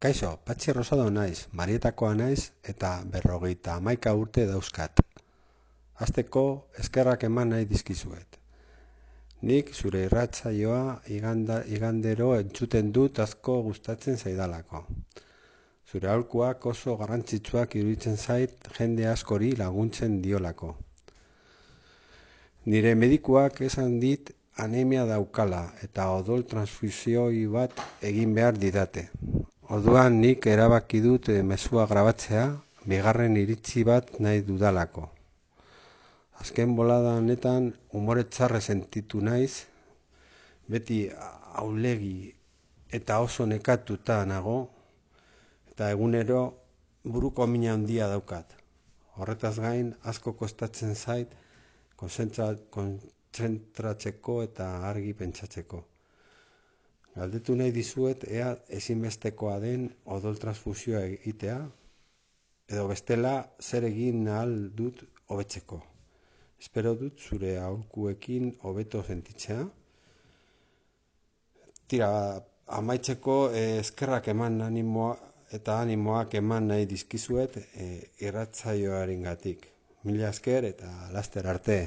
Kaixo, Patxi Rosado naiz, Marietakoa naiz eta 51 urte dauzkat. Hasteko eskerrak eman nahi dizkizuet. Nik zure irratsaioa igandero entzuten dut asko gustatzen zaidalako. Zure aholkuak oso garrantzitsuak iruditzen zait jende askori laguntzen diolako. Nire medikuak esan dit anemia daukala eta odol transfusioi bat egin behar didate. Orduan nik erabaki dut mezua grabatzea, bigarren iritzi bat nahi dudalako. Azken bolada honetan umore txarra sentitu naiz, beti aulegi eta oso nekatuta nago, eta egunero buruko mina handia daukat. Horretaz gain asko kostatzen zait kontzentratzeko eta argi pentsatzeko. Galdetu nahi dizuet ea ezinbestekoa den odol transfusioa egitea, edo bestela zer egin ahal dut hobetzeko. Espero dut zure aholkuekin hobeto sentitzea. Tira, amaitzeko eskerrak eman animoak eman nahi dizkizuet irratsaioarengatik. Mila esker eta laster arte.